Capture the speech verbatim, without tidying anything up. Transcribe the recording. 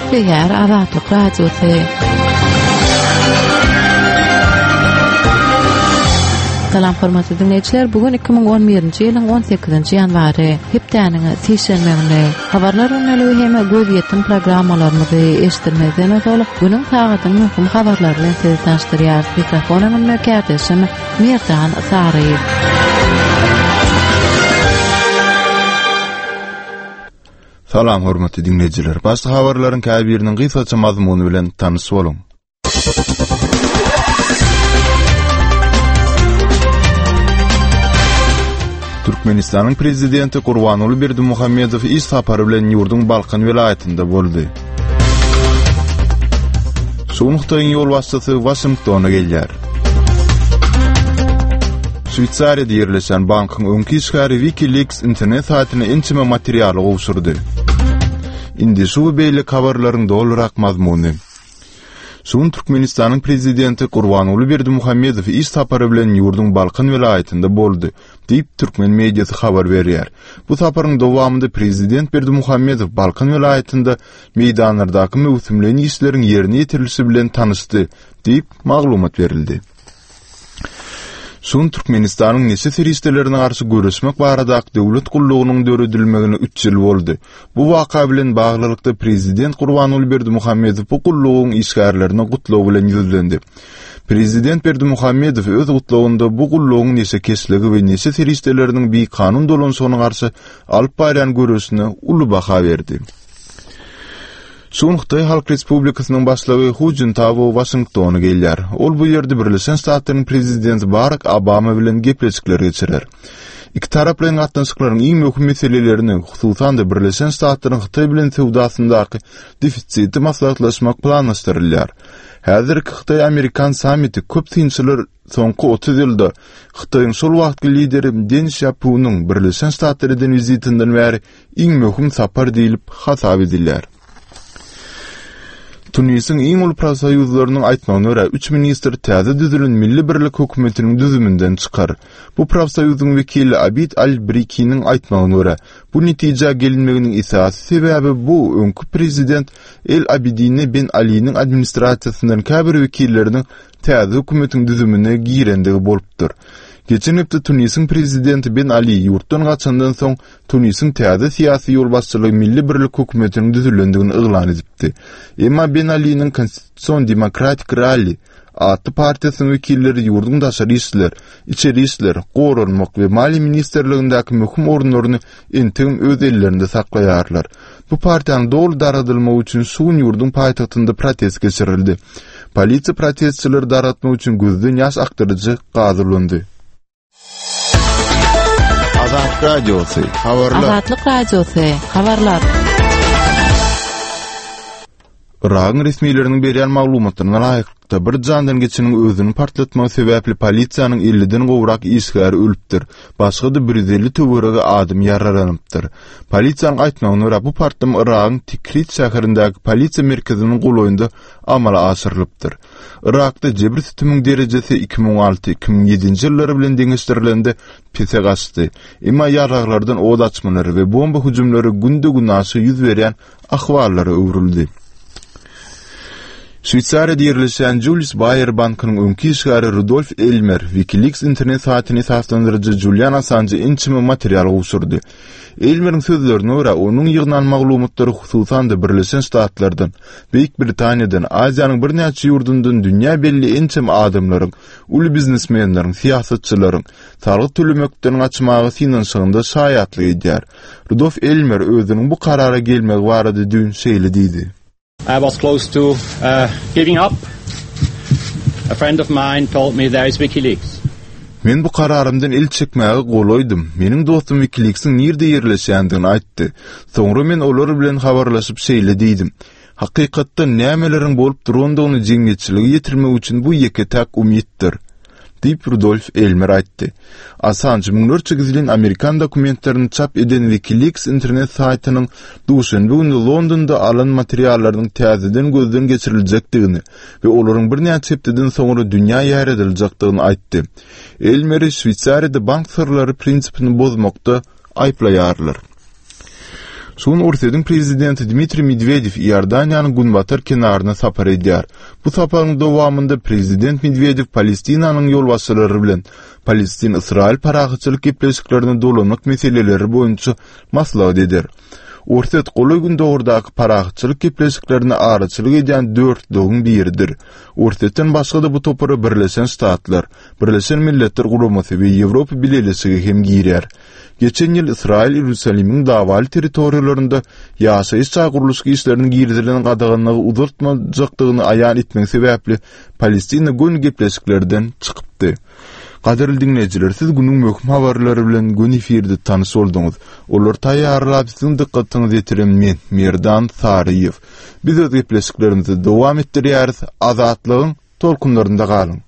Gepleýär Azatlyk Radiosy. Salam hormatly dinleýjiler, bu gün iki müň on birinji ýylyň on sekizinji ýanwary, hepdäniň sişenbe güni. Habarlar gündeligi hem gözýetim programmalarymyzy eşitdirmezden ozal, günüň sagatyň möhüm habarlary bilen sizi tanyşdyrýarys. Mikrofon öňünde kärdeşim Merdan Saryýew. Salam hormatly dinleýjiler. Başda habarlaryň käbiriniň gysgaça mazmuny bilen tanyş boluň. Türkmenistanyň Prezidenti Gurbanguly Berdimuhamedow iş sapary bilen ýurduň Balkan welaýatynda boldy. Şu gün Hytaýyň ýolbaşçysy Waşingtona gelýär. Şweýsariýada ýerleşen bankyň öňki işgäri WikiLeaks internet saýtyna ençeme materialy gowşurdy. Indi şu we beýleki habarlaryň dolurak mazmuny. Şu gün Türkmenistanyň Prezidenti Gurbanguly Berdimuhamedow iş sapary bilen ýurduň Balkan welaýatynda boldy, diýip, türkmen mediasy habar berýär. Bu saparyň dowamynda Prezident Berdimuhamedow Balkan welaýatynda meýdanlardaky möwsümleýin işleriň ýerine ýetirilişi bilen tanyşdy, diýip, maglumat berildi. Şu gün Türkmenistanyň neşe serişdelerine garşy göreşmek baradaky döwlet gullugynyň döredilmegine üç ýyl boldy. Bu waka bilen baglylykda Prezident Gurbanguly Berdimuhamedow bu gullugyň işgärlerine gutlag bilen ýüzlendi. Prezident Berdimuhamedow öz gutlagynda bu gullugyň neşekeşligi we neşe serişdeleriniň bikanun dolanyşygyna garşy alyp barýan göreşine uly baha berdi. Şu gün Hytaý Halk Respublikasynyň başlygy Hu Jintao Waşingtona gelýär. Ol bu ýerde Birleşen Ştatlaryň prezidenti Barak Obama bilen gepleşikler geçirer. Iki taraplaýyn gatnaşyklaryň iň möhüm meselelerini, hususan-da Birleşen Ştatlaryň Hytaý bilen söwdasyndaky defisiti maslahatlaşmak planlaşdyrylýar. Häzirki Hytaý-Amerikan sammiti köp synçylar soňky otuz ýylda Hytaýyň şol wagtky lideri Den Sýaopunyň Birleşen Ştatlara eden wizitinden bäri iň möhüm sapar diýlip hasap edilýär. Tunisiň iň uly profsoýuzlarynyň aýtmagyna görä, üç ministr täze düzülen Milli birlik hökümetiniň düzüminden çykar. Bu profsoýuzyň wekili Abid Al-Brikiniň aýtmagyna görä, bu netijä gelinmeginiň esasy sebäbi bu öňki prezident El Abidine Ben Aliniň administrasiýasyndan käbir wekilleriniň täze hökümetiň düzümine girendigi bolupdyr. Geçen hepde Tunisiň prezidenti Ben Ali ýurtdan gaçandan soň Tunisiň täze syýasy ýolbaşçylygy Milli birlik hökümetiniň düzülendigini yglan edipdi. Emma Ben Aliniň Konstitusion demokratik ralli atly partiýasynyň wekilleri ýurduň daşary işler, içeri işler, goranmak we maliýe ministrligindäki möhüm orunlaryny entegem öz ellerinde saklaýarlar. Bu partiýanyň doly dargadylmagy üçin şu gün ýurduň paýtagtynda protest geçirildi. Polisiýa protestçileri dargatmak üçin gözden ýaş akdyryjy gaz ulandy. Azatlyk Radiosy, habarlar. Azatlyk Radiosy, habarlar. Yragyň resmileriniň berýän maglumatlaryna laýyklykda, bir jandan geçeniň özüni partlatmagy sebäpli polisiýanyň elliden gowrak işgäri ölüpdir, başga-da bir ýüz elli töweregi adam ýaralanypdyr. Polisiýanyň aýtmagyna görä, bu partlama Yragyň Tikrit şäherindäki polisiýa merkeziniň golaýynda amala aşyrylypdyr. Yrakda jebir-sütümiň derejesi iki müň alty, iki müň ýedinji ýyllar bilen deňeşdirilende pese gaçdy. Emma ýaraglardan ot açmalary we bomba hüjümleri günde-günaşa ýüz berýän ahwallara öwrüldi. Şweýsariýada ýerleşýän Julius Baer bankynyň öňki işgäri Rudolf Elmer WikiLeaks internet saýtyny esaslandyryjy Julian Assanja ençeme material gowşurdy. Elmeriň sözlerine görä, onuň ýygnan maglumatlary hususan-da Birleşen Ştatlardan, Beýik Britaniýadan, Aziýanyň birnäçe ýurdundan dünýä belli ençeme adamlaryň, uly biznesmenleriň, syýasatçylaryň salgyt tölemekden gaçmaga synanyşygynda şaýatlyk edýär. Rudolf Elmer özüniň bu karara gelmegi barada düýn şeýle diýdi. I was close to, uh, giving up. A friend of mine told me there is WikiLeaks. Men bu kararymdan el çekmäge golaýdym. Meniň dostum WikiLeaks-iň nirde ýerleşýändigini aýtdy. Soňra men olar bilen habarlaşyp şeýle diýdim. Hakykatda nämeleriň bolup durandygyny jemgyýetçilige ýetirmek üçin bu ýeke-täk umytdyr, diýip, Rudolf Elmer aýtdy. Assanj müňlerçe gizlin amerikan dokumentlerini çap eden WikiLeaks internet saýtynyň duşenbe güni Londonda alan materiallarynyň täzeden gözden geçiriljekdigini we olaryň birnäçe hepdeden soňra dünýä ýaýradyljakdygyny aýtdy. Elmeri Şweýsariýada bank syrlary prinsipini bozmakda aýyplaýarlar. Şu gün Orsýetiň prezidenti Dmitriý Medwedew Iordaniýanyň günbatar kenaryna sapar edýär. Bu saparyň dowamynda prezident Medwedew Palestinanyň ýolbaşçylary bilen Palestin-Ysraýyl parahatçylyk gepleşiklerine dolanmak meseleleri boýunça maslahat eder. Orsýet Golaý Gündogardaky parahatçylyk gepleşiklerine araçylyk edýän dörtlügiň biridir. Orsýetden başga-da bu topara Birleşen Ştatlar, Birleşen Milletler Guramasy we Ýewropa Bileleşigi hem girýär. Geçen ýyl Ysraýyl Iýerusalimiň dawaly territoriýalarynda ýaşaýyş jaý gurluşyk işlerine girizilen gadaganlygy uzaltmajakdygyny aýan etmegi sebäpli Palestina göni gepleşiklerden çykypdy. Gadyrly diňleýjiler, siz günüň möhüm habarlary bilen göni efirde tanyş bolduňyz. Olary taýýarlap siziň dykgatyňyza ýetiren men, Merdan Saryýew. Biz öz gepleşiklerimizi dowam etdirýäris. Azatlygyň tolkunlarynda galyň.